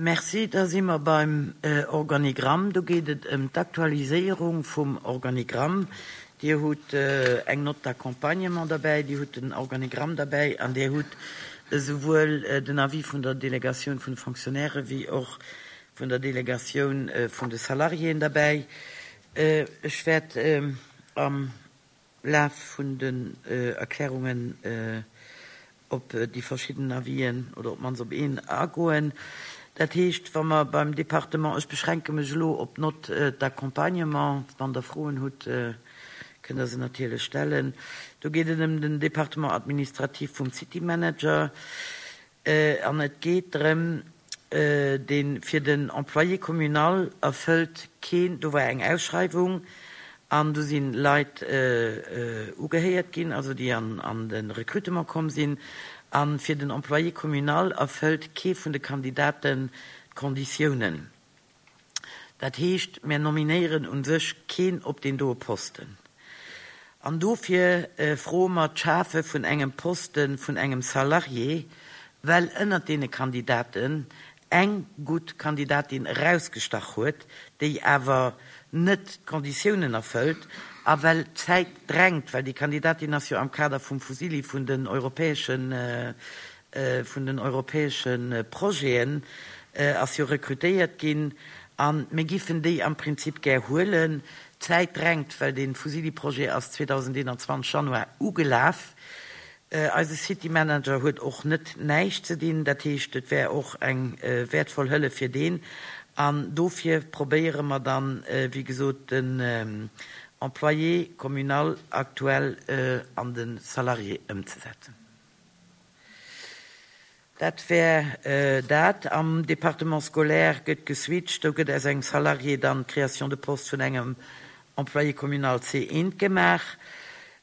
Merci. Da si mer beim Organigramm. Do geet et ëm d'Aktualiséierung vum Organigramm. Dir hutt eng Note d'accompagnement derbäi, Dir hutt den Organigramm derbäi an Dir hutt esouwuel den Avis vun der Delegatioun vun de Fonctionnaires wéi och vun der Delegatioun vun de Salariéen derbäi. Ech wäert am Laf vun den Erklärungen op déi verschidden Avisen oder op d'mannst op een agoen. Dat heescht, wa mer beim Département, ech beschränke mech elo op d'Note d'accompagnement, wann Der Froen hutt, kënnt Der se natierlech stellen, do geet et ëm den Département administratif vum City Manager. An et geet drëm, dee fir den Employé communal erfëllt keen, do war eng Ausschreiwung an do si Leit ugehéiert ginn, also déi an de Recrutement komm sinn, a fir den Employé communal erfëllt kee vun de Kandidaten d'Konditiounen. Dat heescht, mär nominéieren u sech keen op deen doe Posten. An dofir froe mer d'Schafe vun engem Poste vun engem Salarié, well ënnert deene Kandidaten eng gutt Kandidatin erausgestach huet, déi awer net d'Konditiounen erfëllt, a well d'Zäit drängt, well déi Kandidatin ass jo am Kader vum Fusilli vun den europäeschen vun den europäesche Projeten ass jo rekrutéiert ginn a mir giffen déi am Prinzip gär huelen. D'Zäit drängt, well dee Fusilli-Projet ass 2021 Januar ugelaf. Eise City Manager huet och net näischt ze dinn, dat heescht et wär och eng wäertvoll Hëllef fir deen. An dofir probéiere mer dann, wéi gesot, den Employé communal aktuell an de Salarié ëmzesetzen. Dat wär dat. Am Département scolaire gëtt geswitcht. Do gëtt aus engem Salarié dann d'Création de poste vun engem Employé communal C1 gemaach.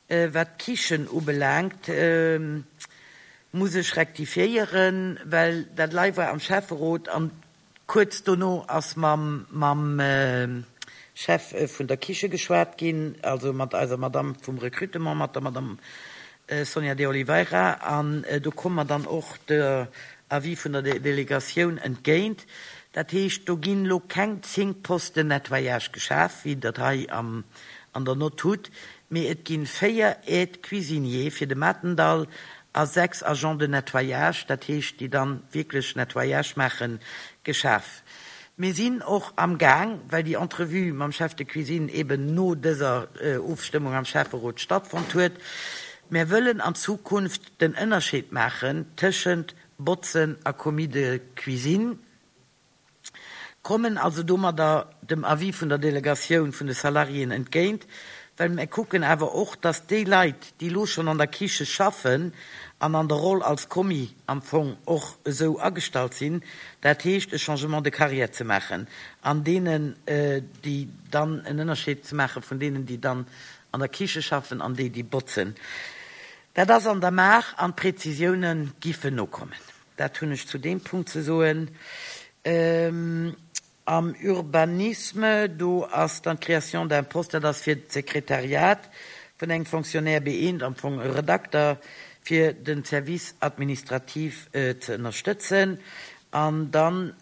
Wat d'Kichen ubelaangt, muss ech rektifiéieren, well dat lei war am Schäfferot an Kuerz dono ass mam mam Chef vun der Kiche geschwat ginn, also mat eiser Madamm vum Recrutement, mat der Madamm Sonia De Oliveira, an do komme mer dann och der Avis vun der Delegatioun entgéint. Dat heescht, do ginn elo keng 10 Posten Nettoyage geschaf, wéi Der et hei am an der Nott hutt, mee et ginn 4 Aides-cuisiniers fir de Matendall a 6 Agents de nettoyage, dat heescht déi dann wierklech Nettoyage maachen, geschaf. Mir sinn och am Gaang, well déi Entrevue mam Chef de cuisine eben no dëser Ofstëmmung am Schäfferot stattfonnt huet, mär wëllen an Zukunft den Ënnerscheed maachen tëschent Botzen a Commis de cuisine, kommen also domadder dem Avis vun der Delegatioun vun de Salariéen entgéint, well mir kucken awer och, dass déi Leit, déi elo schonn an der Kiche schaffen an an der Roll als Commis am Fong och esou agestallt sinn, dat heescht e Changement de carrière ze maachen an deenen, déi dann en Ënnerscheed ze maache vun deenen, déi dann an der Kiche schaffen an déi, déi botzen. Dat ass an der Maach an d'Präzisiounen giffen nokommen. Dat hunn ech zu deem Punkt ze soen. Am Urbanisme, do ass dann d'Création d'un poste, dat ass fir d'Sekretariat vun engem Fonctionnaire B1, am Fong e Redakter, fir de Service administratif ze ënnerstëtzen. An dann.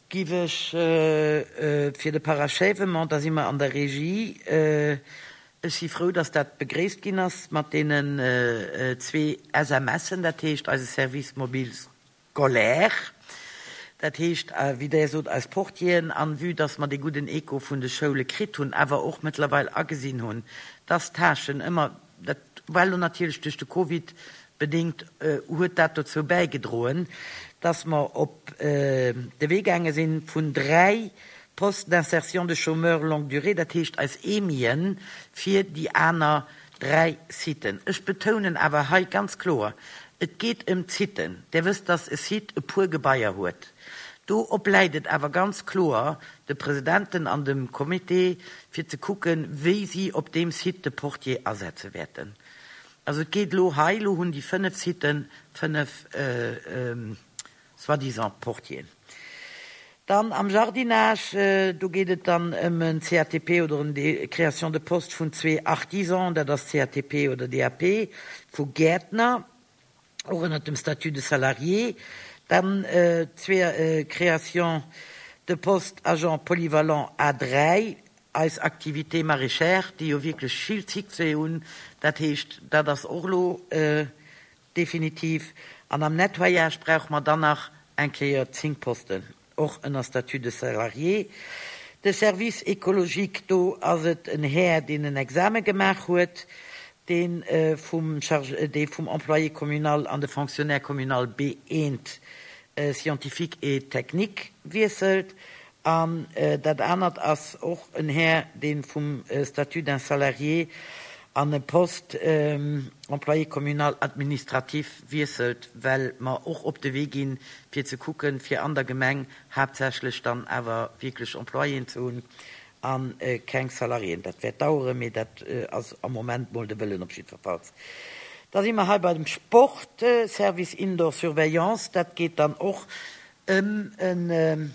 Giff ech fir de Parachèvement, da si mer an der Regie. Ech si frou, dass dat begréisst ginn ass mat deenen zwee SMSen, dat heescht eise Service mobile scolaire, dat heescht, wéi Der sot, eis Portieren. An vue dass mer dee gudden Echo vun de Schoule kritt hunn, awer och mëttlerweil agesinn hunn, dass d'Tâchen ëmmer, Dat war elo natierlech duerch de Covid bedéngt, huet dat dozou bäigedroen, dass mer op de Wee gaange sinn vun 3 Postes d'insertion de chômeurs longue durée, dat heescht eis EMIen, fir déi aner 3 Siten. Ech betounen awer hei ganz kloer, Et geet ëm d'Siten. Där wësst, dass e Site e puer Gebaier huet. Do obläit et awer ganz kloer de Presidenten an dem Comité, fir ze kucken, wéi si op deem Site de Portier asetze wäerten. Also et geet elo hei, elo hunn déi 5 Siten 5 soi-disant Portieren. Dann am Jardinage, do geet et dann ëm en CATP oder en Création de poste vun zwee Artisans, dat ass CATP oder DAP, vu Gäertner. Och ënnert dem Statut de salarié. Dann zwee Créations de postes agent polyvalent A3, eis Activités maraîchères, déi jo wierklech vill Succès hunn. Dat heescht, dat ass och elo definitiv. An am Nettoyage brauche mer dann nach eng Kéier 10 Posten, och ënner Statut de salarié. De Service écologique, do ass et en Här, deen en Exame gemaach huet, dee vum Chargé, dee vum Employé communal an de Fonctionnaire communal B1 scientifique et technique wiesselt. An dat anert ass och en Här, dee vum Statut d'un salarié an e Poste employé communal administratif wiesselt, well mer och op de Wee ginn, fir ze kucken, fir an der Gemeng haaptsächlech dann awer wierklech Employéen ze hunn a keng Salariéen. Dat wäert daueren, mee dat ass am Moment mol de Wëllen op jiddwerfalls. Da si mer hei bei dem Sport, Service Indoor Surveillance. Dat geet dann och ëm en,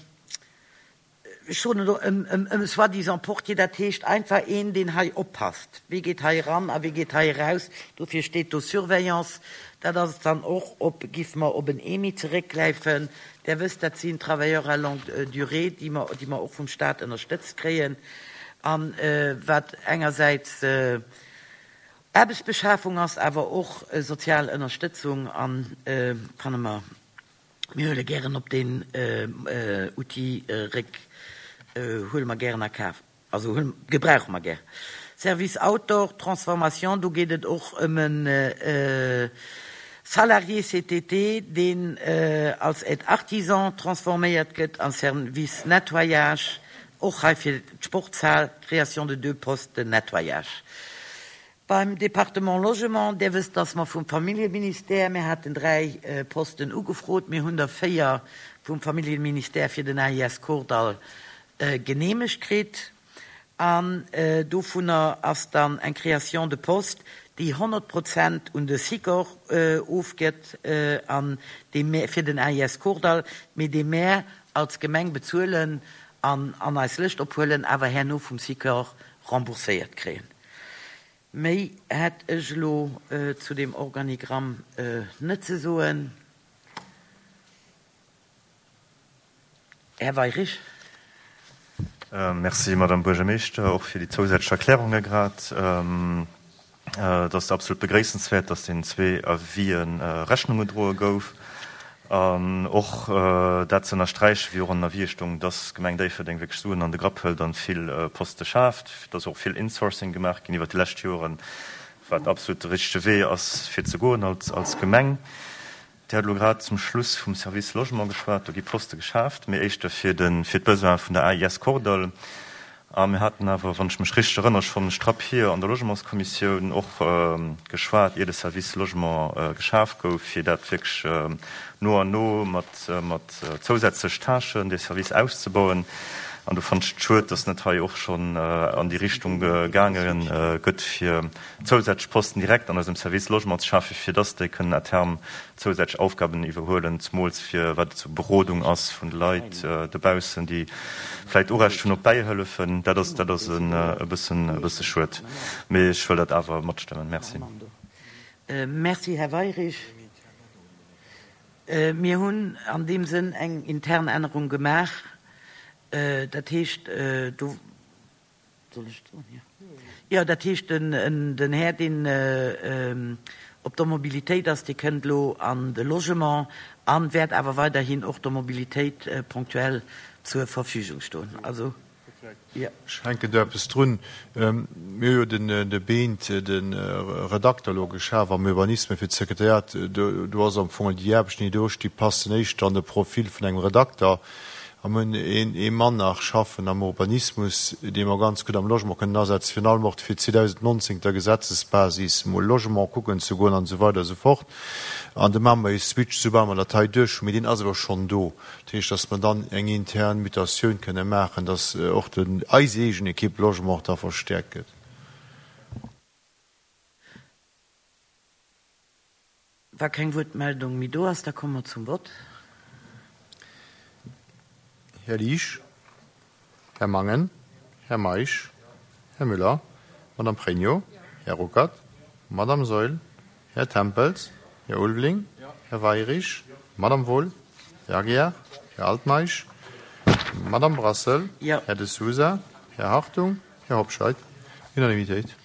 ech soen elo, ëm e soi-disant Portier, dat heescht einfach een, deen hei oppasst, wie geet hei eran a wie geet hei eraus. Dofir steet do Surveillance. Dat ass dann och op, géife mer op en EMI zeréckgräifen. Där wësst, dat sinn Travailleurs à longue durée, déi mer, déi mer och vum Stat ënnerstëtzt kréien a wat engersäits Aarbechtsbeschafung ass, awer och sozial Ënnerstëtzung a fanne mer, Mir huele gären op deen Outil réck, huele mer gären a Kaf, also huele, gebrauche mer gär. Service Outdoor, Transformation, do geet et och ëm e Salarié CTT, deen als Aide artisan transforméiert gëtt an Service Nettoyage, och hei fir d'Sportshal, Création de deux postes de nettoyage. Beim Département Logement, Där wësst, dass mer vum Familljeministère, mir haten 3 Posten ugefrot, mir hunn der 4 vum Familljeministère fir den AIS Kordall geneemegt kritt. An dovunner ass dann eng Création de poste, déi 100 Prozent un de Sikor ofgëtt an déi mär fir den AIS Kordall, mee déi mär als Gemeng bezuelen an an eis Lëscht ophuelen, awer herno vum Sikor rembourséiert kréien. Méi hätt ech elo zu deem Organigramm net ze soen. Här Weirich. Merci, Madame Buergermeeschter, och fir déi zousätzlech Erklärunge grad. Et ass absolut begréissenswäert, dass deenen zwee Avisë Rechnung gedroe gouf. An och dat ze ënnersträichen, wéi och an den Avisë stoung, dass d'Gemeng Déifferdeng wierklech Suen an de Grapp hëlt an vill Poste schaaft, dass och vill Insourcing gemaach ginn iwwert déi lescht Joren, wat absolut de richtege Wee ass fir ze goen als Gemeng. Dir hat elo grad zum Schluss vum Service Logement geschwat. Do gi Poste geschaaft, mee éischter fir d'Besoine vun der AIS Kordall. A mir haten awer, wann ech mech richteg erënnere, schonn strapp hier an der Logementskommissioun och geschwat, ier de Service Logement geschaf gouf, fir dat wierklech no an no mat zousätzlech Tâchen, dee Service auszebauen. An do fannen ech et schued, dass net hei och schonn an déi Richtung gaange gëtt, fir zousätzlech Posten direkt an eisem Service Logement ze schafen, fir dass déi kënnen à terme zousätzlech Aufgaben iwwerhuelen, zemools fir wat et sou Berodung ass vun de Leit dobaussen, déi vläicht Urecht hunn op Bäihëllefen. Dat ass, dat ass e bëssen, e bësse schued, mee ech wëll dat awer matstëmmen. Merci. Merci, Här Weirich. Mir hunn an deem Sënn eng intern Ännerung gemaach. Dat heescht, do. Soll ech et soen? Jo. Jo, dat heescht, den Här, deen op der Mobilitéit ass, dee kënnt elo an de Logement a wäert awer weiderhin och der Mobilitéit ponctuell zur Verfügung stoen. Also, jo. Ech hänken do eppes drun. Mir hu jo de Beent, de Redakter elo geschaf am Urbanisme fir d'Sekretariat. Do ass am Fong déi Aarbechten, déi do sti, passen éischter an de Profil vun engem Redakter. A mir hunn ee Mann nach schaffen am Urbanismus, dee mer ganz gutt am Logement kënnen asetzen, virun allem och fir 2019 der Gesetzesbasis mol Logement kucken ze goen an esou weider esou fort. An do maache mer ee Switch, soubal mer dat hei duerch hunn. Mee deen ass awer schonn do. Dat heescht, datt mer dann eng intern Mutatioun kënne maachen, datt och den, eis eegen Equipe Logement da verstäerkt gëtt. Wa keng Wuertmeldung méi do ass, da komme mer zum Vott. Här Liesch, Här Mangen, Här Meisch, Här Müller, Madame Pregno, Här Ruckert, Madame Saeul, Här Tempels. Här Ulveling. Här Weirich. Madame Wohl. Här Aguiar. Här Altmeisch. Madame Brassel. Här De Sousa. Här Hartung. Här Hobscheit. Unanimitéit.